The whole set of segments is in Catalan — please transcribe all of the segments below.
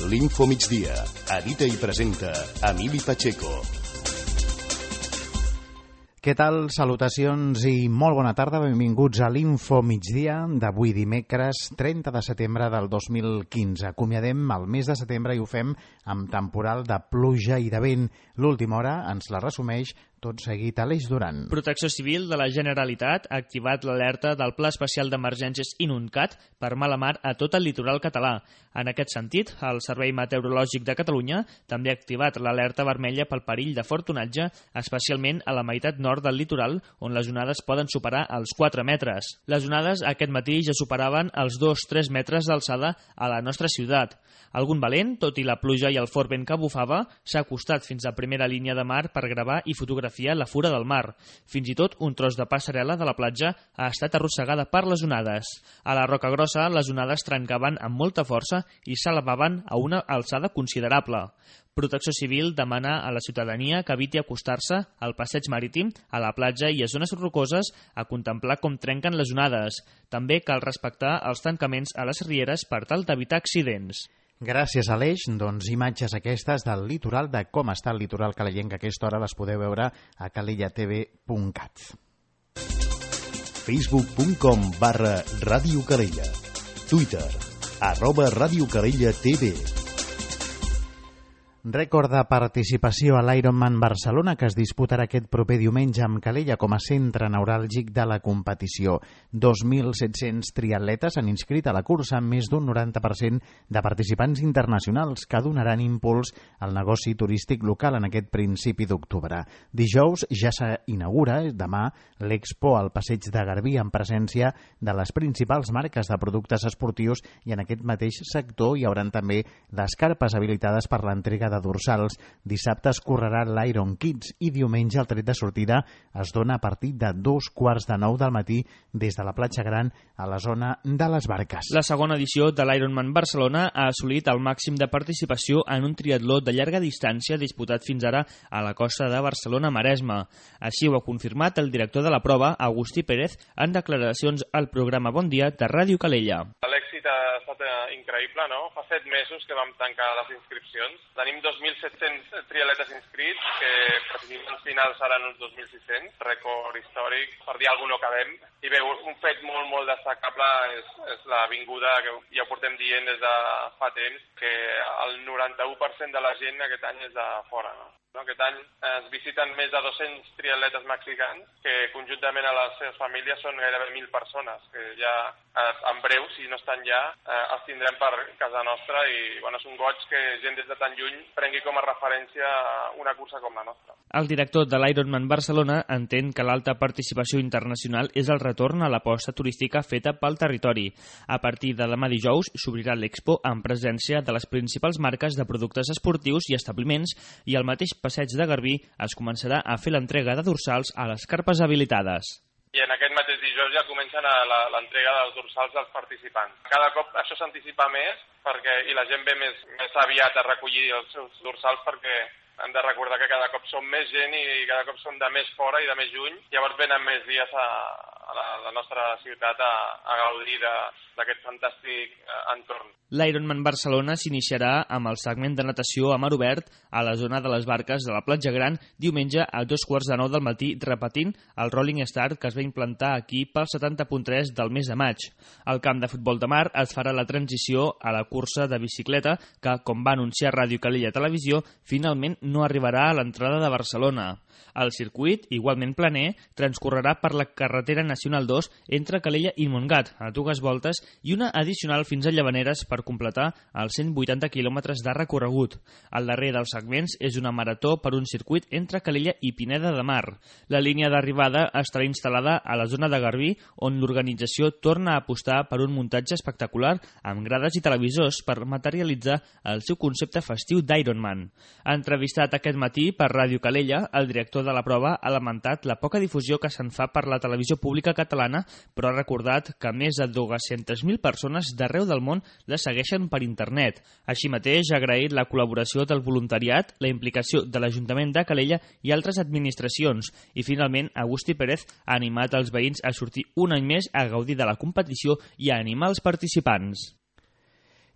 l'Info Migdia. Edita i presenta Emili Pacheco. Què tal? Salutacions i molt bona tarda. Benvinguts a l'Info Migdia d'avui dimecres 30 de setembre del 2015. Acomiadem el mes de setembre i ho fem amb temporal de pluja i de vent. L'última hora ens la resumeix tot seguit Aleix Duran. Protecció Civil de la Generalitat ha activat l'alerta del Pla Especial d'Emergències Inuncat per mala mar a tot el litoral català. En aquest sentit, el Servei Meteorològic de Catalunya també ha activat l'alerta vermella pel perill de fort onatge, especialment a la meitat nord del litoral, on les onades poden superar els 4 metres. Les onades aquest matí ja superaven els 2-3 metres d'alçada a la nostra ciutat. Algun valent, tot i la pluja i el fort vent que bufava, s'ha acostat fins a primera línia de mar per gravar i fotografiar la fura del mar. Fins i tot un tros de passarel·la de la platja ha estat arrossegada per les onades. A la Roca Grossa, les onades trencaven amb molta força i s'elevaven a una alçada considerable. Protecció Civil demana a la ciutadania que eviti acostar-se al passeig marítim, a la platja i a zones rocoses a contemplar com trenquen les onades. També cal respectar els tancaments a les rieres per tal d'evitar accidents. Gràcies, Aleix. Doncs imatges aquestes del litoral, de com està el litoral calayenc, que a aquesta hora les podeu veure a calellatv.cat. Facebook.com/Ràdio Calella. Twitter @Ràdio Calella TV. Rècord de participació a l'Ironman Barcelona, que es disputarà aquest proper diumenge amb Calella com a centre neuràlgic de la competició. 2.700 triatletes han inscrit a la cursa, amb més d'un 90% de participants internacionals que donaran impuls al negoci turístic local en aquest principi d'octubre. Dijous ja s'inaugura, demà, l'Expo al Passeig de Garbí, en presència de les principals marques de productes esportius, i en aquest mateix sector hi hauran també les carpes habilitades per l'entrega de dorsals. Dissabte es correrà l'Iron Kids i diumenge el tret de sortida es dona a partir de 8:45 del matí des de la platja Gran a la zona de les Barques. La segona edició de l'Ironman Barcelona ha assolit el màxim de participació en un triatló de llarga distància disputat fins ara a la costa de Barcelona-Maresme. Així ho ha confirmat el director de la prova, Agustí Pérez, en declaracions al programa Bon Dia de Ràdio Calella. L'èxit ha estat increïble, no? Fa 7 mesos que vam tancar les inscripcions. Tenim 2.700 triatletes inscrits, que participants finals seran uns 2.600, rècord històric, per dir alguna cosa no cabem. I bé, un fet molt destacable és la vinguda, que ja ho portem dient des de fa temps, que el 91% de la gent aquest any és de fora, no? Aquest any es visiten més de 200 triatletes mexicans, que conjuntament a les seves famílies són gairebé 1.000 persones, que ja en breu, si no estan ja, els tindrem per casa nostra, i bueno, és un goig que gent des de tan lluny prengui com a referència una cursa com la nostra. El director de l'Ironman Barcelona entén que l'alta participació internacional és el retorn a l'aposta turística feta pel territori. A partir de demà dijous s'obrirà l'Expo en presència de les principals marques de productes esportius i establiments, i al mateix passeig de Garbí es començarà a fer l'entrega de dorsals a les carpes habilitades. I en aquest mateix dijous ja comencen l'entrega dels dorsals dels participants. Cada cop això s'anticipa més i la gent ve més aviat a recollir els seus dorsals, perquè hem de recordar que cada cop som més gent i cada cop som de més fora i de més lluny. Llavors venen més dies a la nostra ciutat a gaudir d'aquest fantàstic entorn. L'Ironman Barcelona s'iniciarà amb el segment de natació a mar obert a la zona de les Barques de la platja Gran diumenge a 8:45 del matí, repetint el Rolling Start que es va implantar aquí pel 70.3 del mes de maig. Al camp de futbol de mar es farà la transició a la cursa de bicicleta que, com va anunciar Ràdio Calella Televisió, finalment no arribarà a l'entrada de Barcelona. El circuit, igualment planer, transcorrerà per la carretera nacional 2 entre Calella i Montgat, a 2 voltes, i una addicional fins a Llavaneres per completar els 180 quilòmetres de recorregut. El darrer dels segments és una marató per un circuit entre Calella i Pineda de Mar. La línia d'arribada estarà instal·lada a la zona de Garbí, on l'organització torna a apostar per un muntatge espectacular amb grades i televisors per materialitzar el seu concepte festiu d'Ironman. Entrevistat aquest matí per Ràdio Calella, el director de la prova ha lamentat la poca difusió que se'n fa per la televisió pública catalana, però ha recordat que més de 200.000 persones d'arreu del món la segueixen per internet. Així mateix ha agraït la col·laboració del voluntariat, la implicació de l'Ajuntament de Calella i altres administracions, i finalment Agustí Pérez ha animat els veïns a sortir un any més a gaudir de la competició i a animar els participants.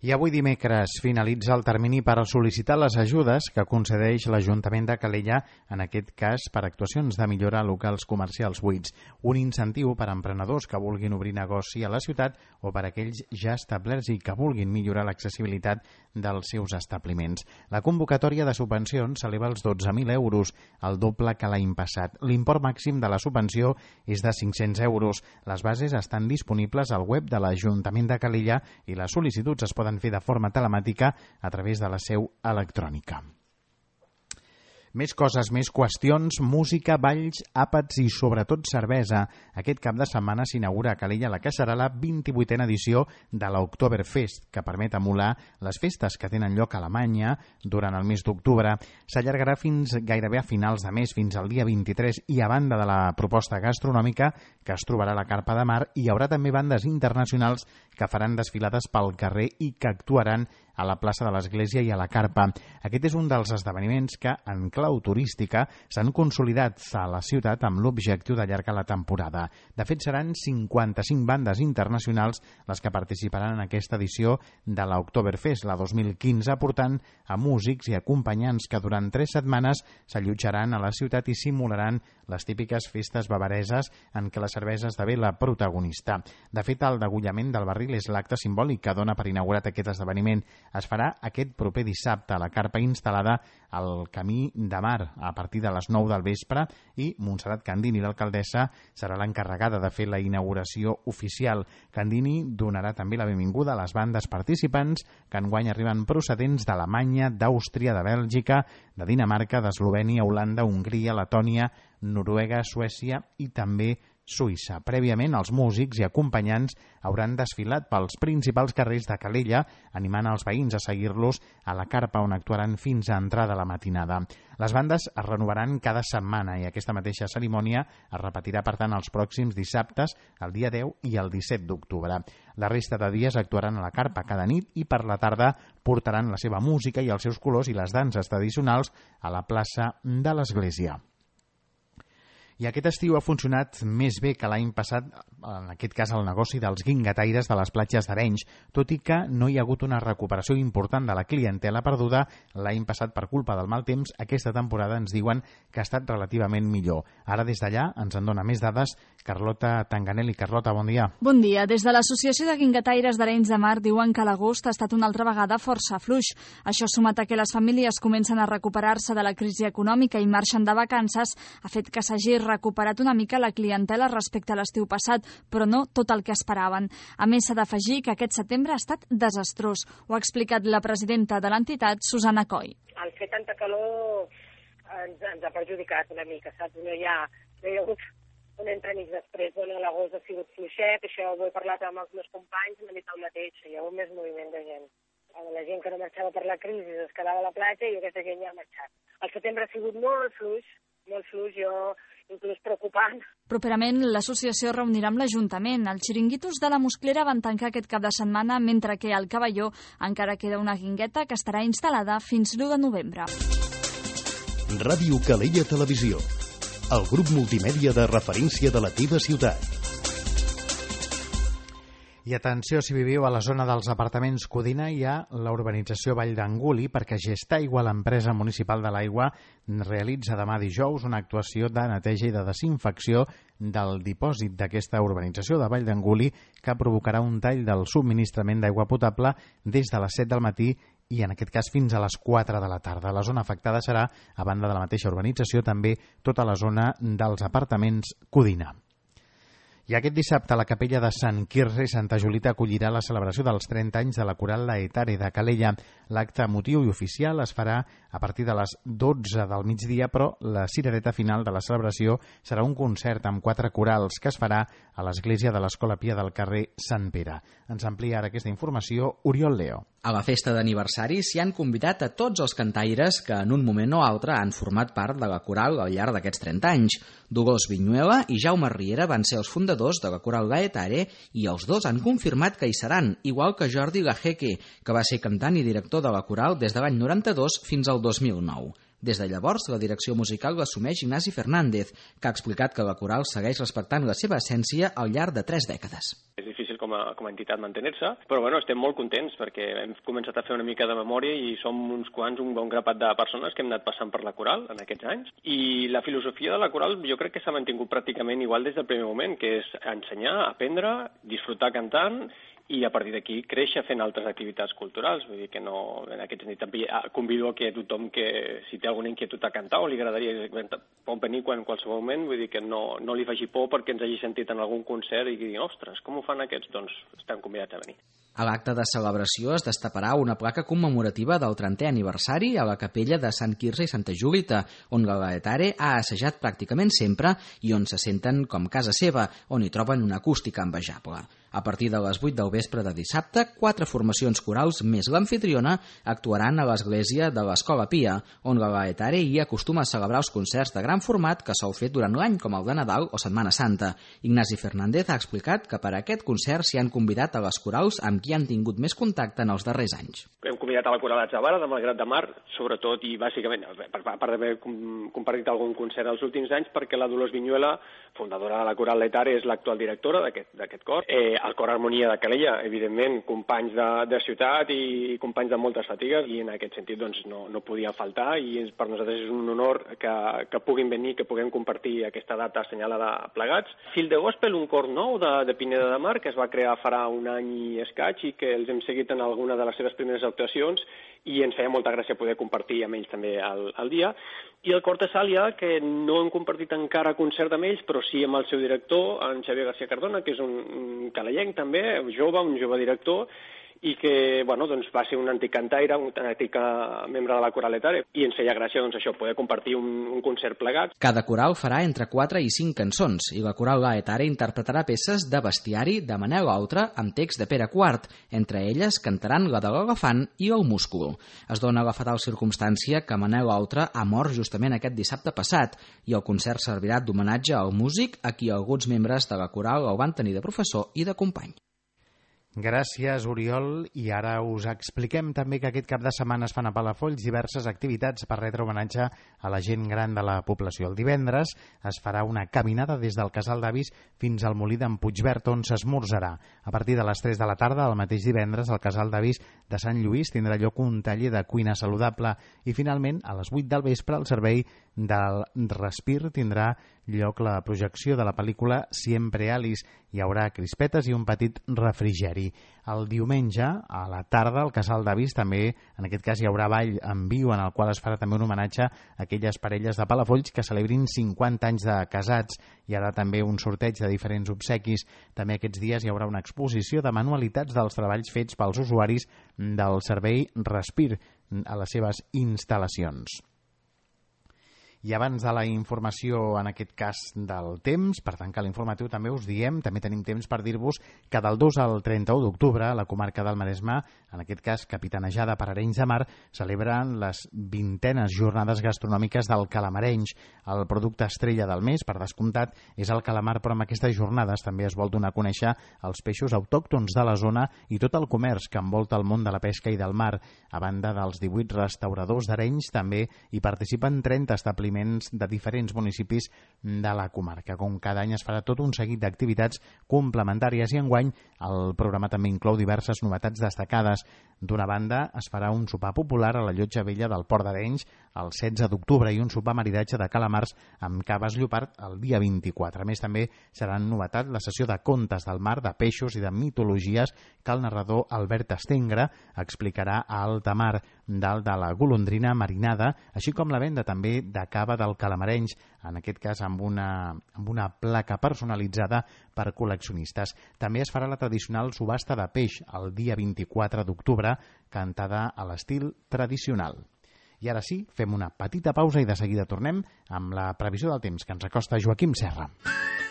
I avui dimecres finalitza el termini per sol·licitar les ajudes que concedeix l'Ajuntament de Calella, en aquest cas per actuacions de millora a locals comercials buits. Un incentiu per a emprenedors que vulguin obrir negoci a la ciutat o per a aquells ja establerts i que vulguin millorar l'accessibilitat dels seus establiments. La convocatòria de subvencions s'eleva als 12.000 euros, el doble que l'any passat. L'import màxim de la subvenció és de 500 euros. Les bases estan disponibles al web de l'Ajuntament de Calella i les sol·licituds es poden fer de forma telemàtica a través de la seu electrònica. Més coses, més qüestions, música, balls, àpats i sobretot cervesa. Aquest cap de setmana s'inaugura a Calella la que serà la 28a edició de l'Oktoberfest, que permet emular les festes que tenen lloc a Alemanya durant el mes d'octubre. S'allargarà fins gairebé a finals de mes, fins al dia 23, i a banda de la proposta gastronòmica que es trobarà a la Carpa de Mar, hi haurà també bandes internacionals que faran desfilades pel carrer i que actuaran a la plaça de l'Església i a la Carpa. Aquest és un dels esdeveniments que, en clau turística, s'han consolidat a la ciutat amb l'objectiu d'allargar la temporada. De fet, seran 55 bandes internacionals les que participaran en aquesta edició de l'Oktoberfest, la 2015, portant a músics i acompanyants que durant 3 setmanes s'allotjaran a la ciutat i simularan les típiques festes bavareses en què la cervesa esdevé la protagonista. De fet, el degollament del barril és l'acte simbòlic que dona per inaugurat aquest esdeveniment. Es farà aquest proper dissabte a la carpa instal·lada al Camí de Mar a partir de les 9 del vespre i Montserrat Candini, l'alcaldessa, serà l'encarregada de fer la inauguració oficial. Candini donarà també la benvinguda a les bandes participants que enguany arriben procedents d'Alemanya, d'Àustria, de Bèlgica, de Dinamarca, d'Eslovènia, Holanda, Hongria, Letònia, Noruega, Suècia i també Suïssa. Prèviament, els músics i acompanyants hauran desfilat pels principals carrers de Calella, animant els veïns a seguir-los a la carpa, on actuaran fins a entrada la matinada. Les bandes es renovaran cada setmana i aquesta mateixa cerimònia es repetirà, per tant, els pròxims dissabtes, el dia 10 i el 17 d'octubre. La resta de dies actuaran a la carpa cada nit i per la tarda portaran la seva música i els seus colors i les danses tradicionals a la plaça de l'Església. I aquest estiu ha funcionat més bé que l'any passat, en aquest cas el negoci dels guingataires de les platges d'Arenys, tot i que no hi ha hagut una recuperació important de la clientela perduda l'any passat per culpa del mal temps. Aquesta temporada ens diuen que ha estat relativament millor. Ara des d'allà ens en dona més dades Carlota Tanganelli. Carlota, bon dia. Bon dia. Des de l'Associació de Guingataires d'Arenys de Mar diuen que l'agost ha estat una altra vegada força fluix. Això, sumat a que les famílies comencen a recuperar-se de la crisi econòmica i marxen de vacances, ha fet que s'hagi recuperat una mica la clientela respecte a l'estiu passat, però no tot el que esperaven. A més, s'ha d'afegir que aquest setembre ha estat desastrós. Ho ha explicat la presidenta de l'entitat, Susana Coll. El fer tanta calor ens ha perjudicat una mica, saps? No hi ha hagut un entremig després. Bueno, l'agost ha sigut fluixet, això ho he parlat amb els meus companys, m'han dit el mateix, hi ha hagut més moviment de gent. La gent que no marxava per la crisi es quedava a la platja i aquesta gent ja ha marxat. El setembre ha sigut molt fluix, jo inclús preocupant. Properament, l'associació reunirà amb l'Ajuntament. Els xiringuitos de la Musclera van tancar aquest cap de setmana, mentre que al Cavalló encara queda una guingueta que estarà instal·lada fins l'1 de novembre. Ràdio Calella Televisió, el grup multimèdia de referència de la teva ciutat. I atenció, si viviu a la zona dels apartaments Codina, hi ha la urbanització Vall d'Anguli, perquè Gestaigua, l'empresa municipal de l'aigua, realitza demà dijous una actuació de neteja i de desinfecció del dipòsit d'aquesta urbanització de Vall d'Anguli, que provocarà un tall del subministrament d'aigua potable des de les 7 del matí i en aquest cas fins a les 4 de la tarda. La zona afectada serà, a banda de la mateixa urbanització, també tota la zona dels apartaments Codina. I aquest dissabte la capella de Sant Quirze i Santa Julita acollirà la celebració dels 30 anys de la coral Laetare de Calella. L'acte emotiu i oficial es farà a partir de les 12 del migdia, però la cirereta final de la celebració serà un concert amb 4 corals que es farà a l'església de l'Escola Pia del carrer Sant Pere. Ens amplia ara aquesta informació Oriol Leo. A la festa d'aniversari s'hi han convidat a tots els cantaires que en un moment o altre han format part de la coral al llarg d'aquests 30 anys. Dolors Viñuela i Jaume Riera van ser els fundadors de la coral Laetare i els dos han confirmat que hi seran, igual que Jordi Lajeque, que va ser cantant i director de la coral des de l'any 92 fins al 2009. Des de llavors, la direcció musical l'assumeix Ignasi Fernández, que ha explicat que la coral segueix respectant la seva essència al llarg de 3 dècades. És difícil com com a entitat mantenir-se, però bueno, estem molt contents perquè hem començat a fer una mica de memòria i som uns quants, un bon grapat de persones que hem anat passant per la coral en aquests anys, i la filosofia de la coral jo crec que s'ha mantingut pràcticament igual des del primer moment, que és ensenyar, aprendre, disfrutar cantant i a partir d'aquí créixer fent altres activitats culturals. Vull dir que no, en aquest sentit també convido a que tothom que si té alguna inquietud a cantar o li agradaria pot venir en qualsevol moment, vull dir que no li faci por perquè ens hagi sentit en algun concert i digui, ostres, com ho fan aquests? Doncs estan convidats a venir. A l'acte de celebració es destaparà una placa commemorativa del 30è aniversari a la capella de Sant Quirze i Santa Julita, on Galaetare ha assajat pràcticament sempre i on se senten com casa seva, on hi troben una acústica envejable. A partir de les 8 del vespre de dissabte, 4 formacions corals més l'anfitriona actuaran a l'església de l'Escola Pia, on Galaetare hi acostuma a celebrar els concerts de gran format que sol fer durant l'any, com el de Nadal o Setmana Santa. Ignasi Fernández ha explicat que per a aquest concert s'hi han convidat a les corals amb qui han tingut més contacte en els darrers anys. Hem convidat a la Coral Atzavara de Malgrat de Mar, sobretot i bàsicament, a part d'haver compartit algun concert els últims anys, perquè la Dolors Viñuela, fundadora de la Coral Letare, és l'actual directora d'aquest cor. El Cor Harmonia de Calella, evidentment, companys de ciutat i companys de moltes fatigues, i en aquest sentit doncs, no podia faltar, i per nosaltres és un honor que puguin venir, que puguem compartir aquesta data assenyalada plegats. Fil de Gospel, un cor nou de Pineda de Mar, que es va crear farà un any i escaig i que els hem seguit en alguna de les seves primeres actuacions i ens feia molta gràcia poder compartir amb ells també el dia. I el Cor Tessàlia, que no hem compartit encara concert amb ells, però sí amb el seu director, en Xavier García Cardona, que és un calellenc també, un jove director, i que doncs, va ser un antic cantaire, un antic membre de la Coral Letare, i ens feia gràcia això, poder compartir un concert plegat. Cada coral farà entre 4 i 5 cançons, i la Coral Letare interpretarà peces de bestiari de Manel Oltra amb text de Pere Quart. Entre elles cantaran la de l'Elefant i el Múscul. Es dona la fatal circumstància que Manel Oltra ha mort justament aquest dissabte passat, i el concert servirà d'homenatge al músic a qui alguns membres de la coral el van tenir de professor i de company. Gràcies, Oriol. I ara us expliquem també que aquest cap de setmana es fan a Palafolls diverses activitats per retre homenatge a la gent gran de la població. El divendres es farà una caminada des del Casal d'Avis fins al Molí d'en Puigverd, on s'esmorzarà. A partir de les 3 de la tarda, el mateix divendres, al Casal d'Avis de Sant Lluís tindrà lloc un taller de cuina saludable. I finalment, a les 8 del vespre, el servei del Respir tindrà lloc la projecció de la pel·lícula Siempre Alice. Hi haurà crispetes i un petit refrigeri. El diumenge, a la tarda, al Casal d'Avis també, en aquest cas, hi haurà ball en viu, en el qual es farà també un homenatge a aquelles parelles de Palafolls que celebrin 50 anys de casats. Hi haurà també un sorteig de diferents obsequis. També aquests dies hi haurà una exposició de manualitats dels treballs fets pels usuaris del servei Respir a les seves instal·lacions. I abans de la informació, en aquest cas del temps, per tancar l'informatiu també us diem, també tenim temps per dir-vos que del 2 al 31 d'octubre la comarca del Maresme, en aquest cas capitanejada per Arenys de Mar, celebren les 20enes jornades gastronòmiques del calamarenys. El producte estrella del mes, per descomptat, és el calamar, però amb aquestes jornades també es vol donar a conèixer els peixos autòctons de la zona i tot el comerç que envolta el món de la pesca i del mar. A banda dels 18 restauradors d'Arenys, també hi participen 30 establiments de diferents municipis de la comarca. Com cada any es farà tot un seguit d'activitats complementàries i enguany el programa també inclou diverses novetats destacades. D'una banda, es farà un sopar popular a la Llotja Vella del Port d'Arenys el 16 d'octubre i un sopar maridatge de calamars amb caves lleopard el dia 24. A més, també serà novetat la sessió de contes del mar, de peixos i de mitologies que el narrador Albert Estengre explicarà a alta mar, dalt de la golondrina marinada, així com la venda també de cava del calamarenys, en aquest cas amb una placa personalitzada per col·leccionistes. També es farà la tradicional subhasta de peix el dia 24 d'octubre, cantada a l'estil tradicional. I ara sí, fem una petita pausa i de seguida tornem amb la previsió del temps que ens acosta Joaquim Serra.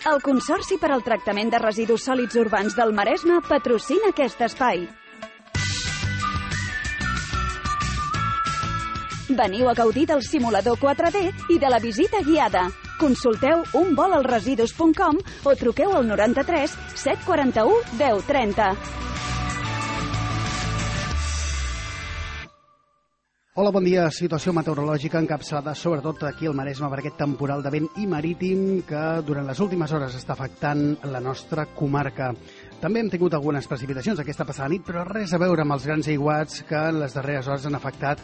El Consorci per al Tractament de Residus Sòlids Urbans del Maresme patrocina aquest espai. Veniu a gaudir del simulador 4D i de la visita guiada. Consulteu unvolalresidus.com o truqueu al 93 741 1030. Hola, bon dia. Situació meteorològica encapçalada sobretot aquí al Maresme per aquest temporal de vent i marítim que durant les últimes hores està afectant la nostra comarca. També hem tingut algunes precipitacions aquesta passada nit, però res a veure amb els grans aiguats que en les darreres hores han afectat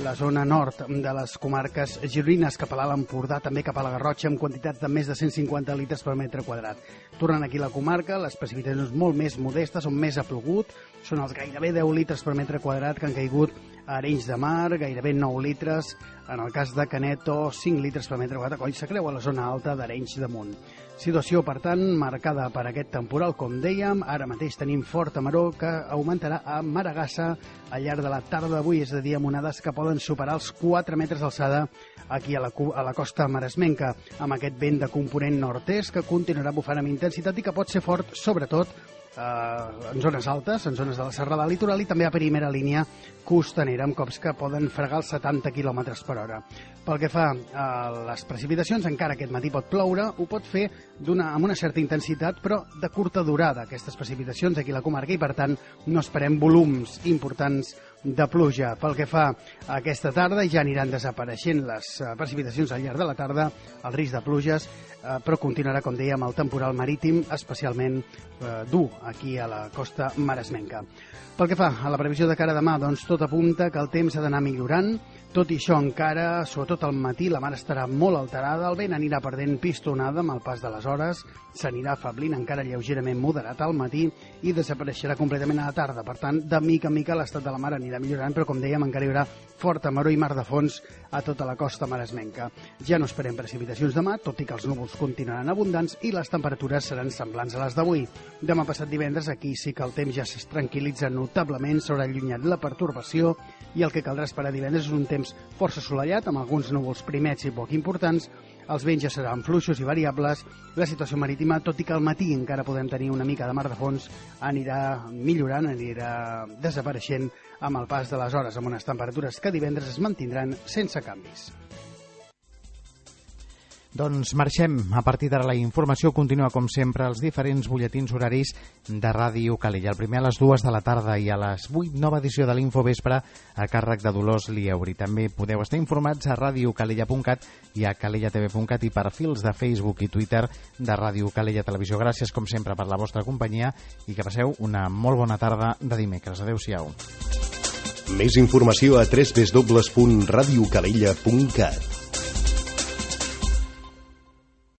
la zona nord de les comarques gironines, cap a l'Alt Empordà, també cap a la Garrotxa, amb quantitats de més de 150 litres per metre quadrat. Tornant aquí a la comarca, les precipitacions molt més modestes, on més ha plogut, són els gairebé 10 litres per metre quadrat que han caigut a Arenys de Mar, gairebé 9 litres, en el cas de Canet, o 5 litres per metre quadrat, quan s'acreu a la zona alta d'Arenys de Munt. Situació, per tant, marcada per aquest temporal, com dèiem. Ara mateix tenim forta maror que augmentarà a Maragassa al llarg de la tarda d'avui, és a dir, amb onades que poden superar els 4 metres d'alçada aquí a la costa maresmenca, amb aquest vent de component nord-est que continuarà bufant amb intensitat i que pot ser fort, sobretot, en zones altes, en zones de la serrada litoral i també a primera línia costanera, amb cops que poden fregar els 70 km per hora. Pel que fa a les precipitacions, encara aquest matí pot ploure, ho pot fer amb una certa intensitat, però de curta durada, aquestes precipitacions aquí a la comarca, i per tant no esperem volums importants de pluja. Pel que fa a aquesta tarda, ja aniran desapareixent les precipitacions al llarg de la tarda, el risc de pluges, però continuarà, com dèiem, el temporal marítim, especialment dur aquí a la costa maresmenca. Pel que fa a la previsió de cara a demà, doncs tot apunta que el temps ha d'anar millorant. Tot i això, encara, sobretot al matí, la mar estarà molt alterada, el vent anirà perdent pistonada amb el pas de les hores, s'anirà afablint encara lleugerament moderat al matí i desapareixerà completament a la tarda. Per tant, de mica en mica l'estat de la mar anirà millorant, però com dèiem, encara hi haurà forta maror i mar de fons a tota la costa maresmenca. Ja no esperem precipitacions demà, tot i que els núvols continuaran abundants i les temperatures seran semblants a les d'avui. Demà passat divendres, aquí sí que el temps ja es tranquil·litza notablement, s'haurà allunyat la pertorbació i el que caldrà esperar divendres és un temps força assolellat, amb alguns núvols primets i poc importants. Els vents ja seran fluixos i variables. La situació marítima, tot i que al matí encara podem tenir una mica de mar de fons, anirà millorant, anirà desapareixent amb el pas de les hores, amb unes temperatures que divendres es mantindran sense canvis. Doncs marxem. A partir d'ara la informació continua, com sempre, als diferents butlletins horaris de Ràdio Calella. El primer a les 2 de la tarda i a les 8, nova edició de l'Infovespre a càrrec de Dolors Lieuri. També podeu estar informats a radiocalella.cat i a calellatv.cat i perfils de Facebook i Twitter de Ràdio Calella Televisió. Gràcies, com sempre, per la vostra companyia i que passeu una molt bona tarda de dimecres. Adéu-siau. Més informació a www.radiocalella.cat.